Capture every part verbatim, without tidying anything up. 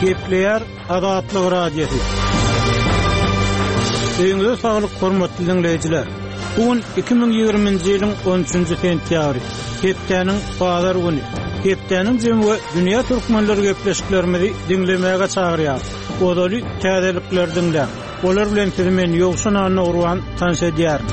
Gepleýär Azatlyk Radiosy. Öýüňize saglyk hormatly dinleýjiler. Bu gün iki müň ýigriminji ýylyň on üçünji sentýabry, hepdäniň bazar güni. Hepdäniň jemi we dünýä türkmenleri gepleşiklerimizi diňlemäge çagyrýar. Ozaly täzelikler diňläň. Olar bilen sizi men Ýowşan Anna tanyş edýärin.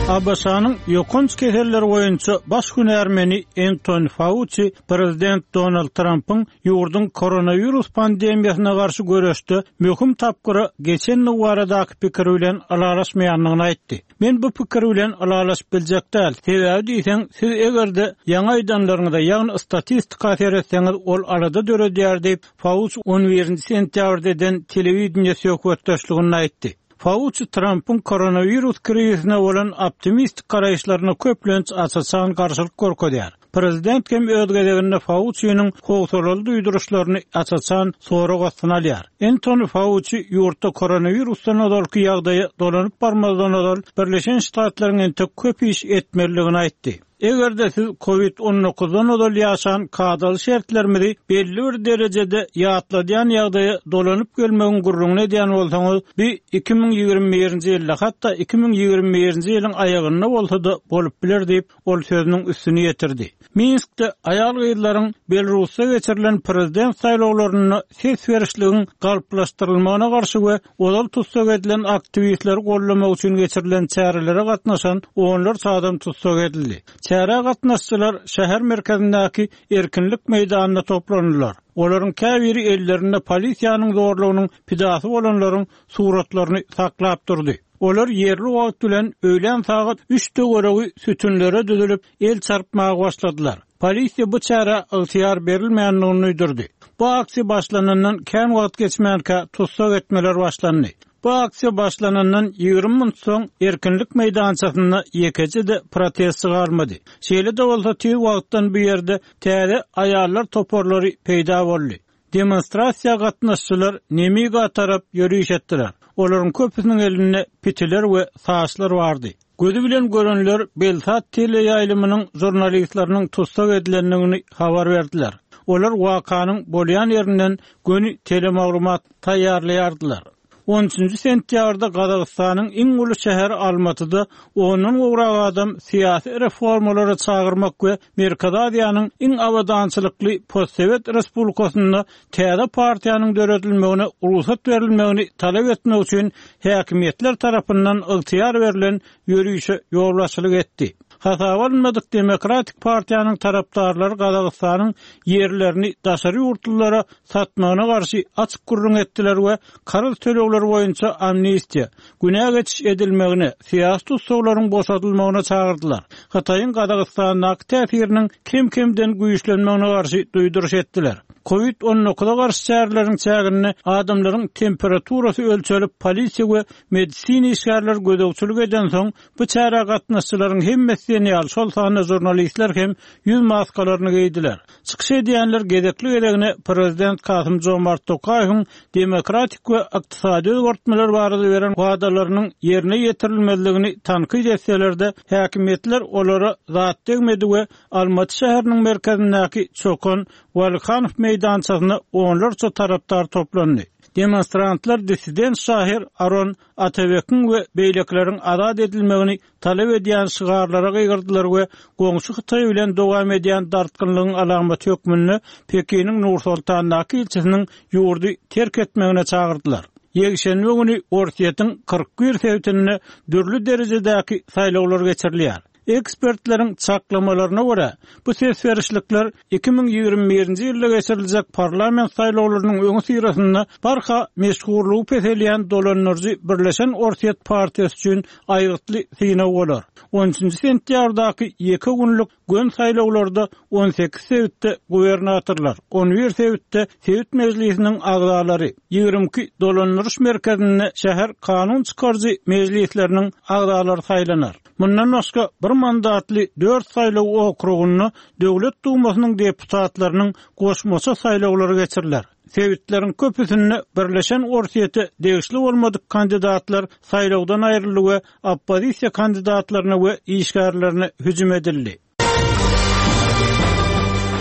A B Ş-nyň ýokanç keselleri boýunça baş hünärmeni Anthony Fauci prezident Donald Trumpyň ýurduň koronawirus pandemiýasyna garşy göreşde möhüm tapgyra geçenligi baradaky pikiri bilen ylalaşmaýandygyny aýtdy. Men bu pikir bilen ylalaşyp biljek däl. Sebäbi diýseň, siz eger-de ýaňy aýdanlaryňyza, ýagny statistika seretseňiz, ol alada döredýär diýip, Fauci on birinji sentýabrda eden telewideniýe söhbetdeşliginde aýtdy. Fauci Trumpyň koronawirus krizisine bolan optimistik garaýyşlaryna köplenç aç-açan garşylyk görkezýär. Prezident hem öz gezeginde Fauci'niň howsalaly duýduryşlaryny aç-açan sorag astyna alýar. Anthony Fauci ýurtda koronawirusdan ozalky ýagdaýa dolanyp barmazdan ozal Birleşen Ştatlaryň entek köp iş etmelidigini aýtdy. Eger-de siz COVID on dokuzdan ozal ýaşan kadaly şertlerimizi belli bir derejede ýatladýan ýagdaýa dolanyp gelmegiň gürrüňini edýän bolsaňyz, bi iki müň ýigrimi birinji ýylda, hatda iki müň ýigrimi birinji ýylyň aýagynda bolsa-da bolup biler diýip, ol sözüniň üstüni ýetirdi. Minskde aýal-gyzlaryň Belarusda geçirilen prezident saýlawlarynda ses berişligiň galplaşdyrylmagyna garşy we ozal tussag edilen aktiwistleri gollamak üçin geçirilen çärelere gatnaşan onlarça adam tussag edildi. Çärä gatnaşyjylar şäher merkezindäki erkinlik meýdanynda toplandylar. Olaryň käbiri ellerinde polisiýanyň zorlugynyň pidasy bolanlaryň suratlaryny saklap durdy. Olar ýerli wagt bilen öýlän sagat üç töweregi sütünlere düzülip el çarpmaga başladylar. Polisiýa bu çärä ygtyýar berilmändigini duýdurdy. Bu aksiýa başlanandan kän wagt geçmänkä tussag etmeler başlandy. Bu aksiýa başlanandan ýigrimi minut soň erkinlik meýdançasynda ýekeje-de protest galmady. Şeýle-de bolsa tiz wagtdan bu ýerde täze aýallar toparlary peýda boldy. Demonstrasiýa gatnaşyjylar Nemiga tarap ýöriş etdiler. Olaryň köpüsiniň elinde pitiler we saçlar bardy. Gözü bilen görenler Belsat teleýaýlymynyň jurnalistleriniň tussag edilendigini habar berdiler. Olar wakanyň bolýan ýerinden göni telemaglumat taýýarlaýardylar. On üçünji sentýabrda Gazagystanyň iň uly şäheri Almatyda ondan gowrak adam syýasy reformalara çagyrmak we Merkezi Aziýanyň iň abadançylykly postsowet respublikasynda täze partiýanyň döredilmegine rugsat berilmegini talap etmek üçin häkimiýetler tarapyndan ygtyýar berlen ýörişe ýolbaşçylyk etdi. Hasaba alynmadyk Demokratik partiýanyň tarapdarlary Gazagystanyň ýerlerini daşary ýurtlulara satmagyna garşy açyk gürrüň etdiler we karz tölegleri boýunça amnistiýa, günä geçiş edilmegine, syýasy tussaglaryň boşadylmagyna çagyrdylar. Hytaýyň Gazagystandaky täsiriniň kem-kemden güýçlenmegine garşy duýduryş etdiler. COVID on dokuza garşy çäreleriň çäginde adamlaryň temperaturasy ölçelip polisiýa we medisina işgärleri gözegçilik eden soň bu çärä gatnaşyjylaryň hemmesi diýen ýaly, şol sanda jurnalistler hem ýüz maskalaryny geýdiler. Çykyş edýänler gezekli gezegine prezident Kasym Jomart Tokaýewiň demokratik we ykdysady özgertmeler barada beren wadalarynyň ýerine ýetirilmezligini tankyt etselerde, häkimiýetler olara zat degmedi we Almaty şäheriniň merkezindäki Çokan Walikanow meýdançasyna onlarça tarapdar toplandy. Demonstrantlar dissident şahyr Aron Atabekiň we beýlekileriň azat edilmegini talap edýän şygarlara gygyrdylar we goňşy Hytaý bilen dowam edýän dartgynlygyň alamaty hökmünde Pekiniň Nur Sultandaky ilçisiniň ýurdy terk etmegine çagyrdylar. Ýekşenbe güni Orsýetiň kyrk bir sebitinde dürli derejedäki saýlawlar geçirilýär. Ekspertleriň çaklamalaryna görä, bu ses berişlikler iki müň ýigrimi birinji ýylda geçiriljek parlament saýlawlarynyň öňi syrasynda barha meşhurlygy peselýän dolandyryjy Birleşen Orsýet partiýasy üçin aýgytly synag bolar. On üçünji sentýabrdaky ýeke günlük gön saýlawlarda on sekiz sebitde gubernatorlar, on bir sebitde sebit mejlisiniň agzalary, ýigrimi iki dolandyryş merkezinde şäher kanun çykaryjy mejlisleriniň agzalary saýlanar. Mundan başga bir mandatly dört saýlaw okrugynda Döwlet Dumasynyň deputatlarynyň goşmaça saýlawlary geçiriler. Sebitleriň köpüsinde Birleşen Orsýete degişli bolmadyk kandidatlar saýlawdan aýryldy we oppozisiýa kandidatlaryna we işgärlerine hüjüm edildi.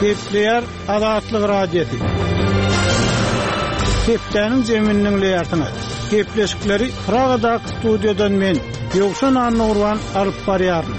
Gepleýär Azatlyk Radiosy. Hepdäniň jemini diňleýärsiňiz. Gepleşikleri Pragadaky studiýadan men, Ýowşan Annagurban alyp barýaryn.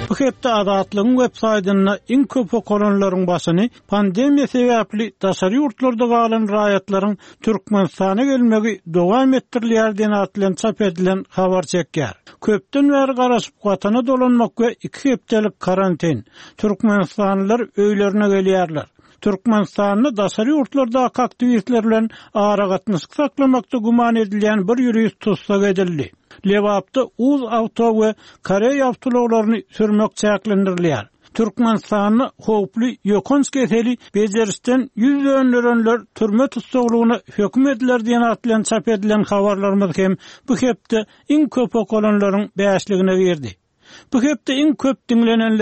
Bu hepde Azatlygyň web saýtynda iň köp okalanlaryň başyny pandemiýa sebäpli daşary ýurtlarda galan raýatlaryň Türkmenistana gelmegi dowam etdirilýär diýen at bilen çap edilen habar çekýär. Köpden bäri garaşyp watana dolanmak we iki hepdelik karantin. Türkmenistanlylar öýlerine gelýärler. Türkmenistanda daşary ýurtlardaky aktiwistler bilen aragatnaşyk saklamakda güman edilýän bir ýurist tussag edildi. Lebapda Uz awto we Koreý awtoulaglaryny sürmek çäklendirilýär. Türkmenistanda howply ýokanç keseli bejerişden ýüz dönderenler türme tussaglygyna höküm ediler diýen at bilen çap edilen habarlarymyz hem bu hepde iň köp okalanlaryň bäşligine girdi. Bu hepde iň köp diňlenenler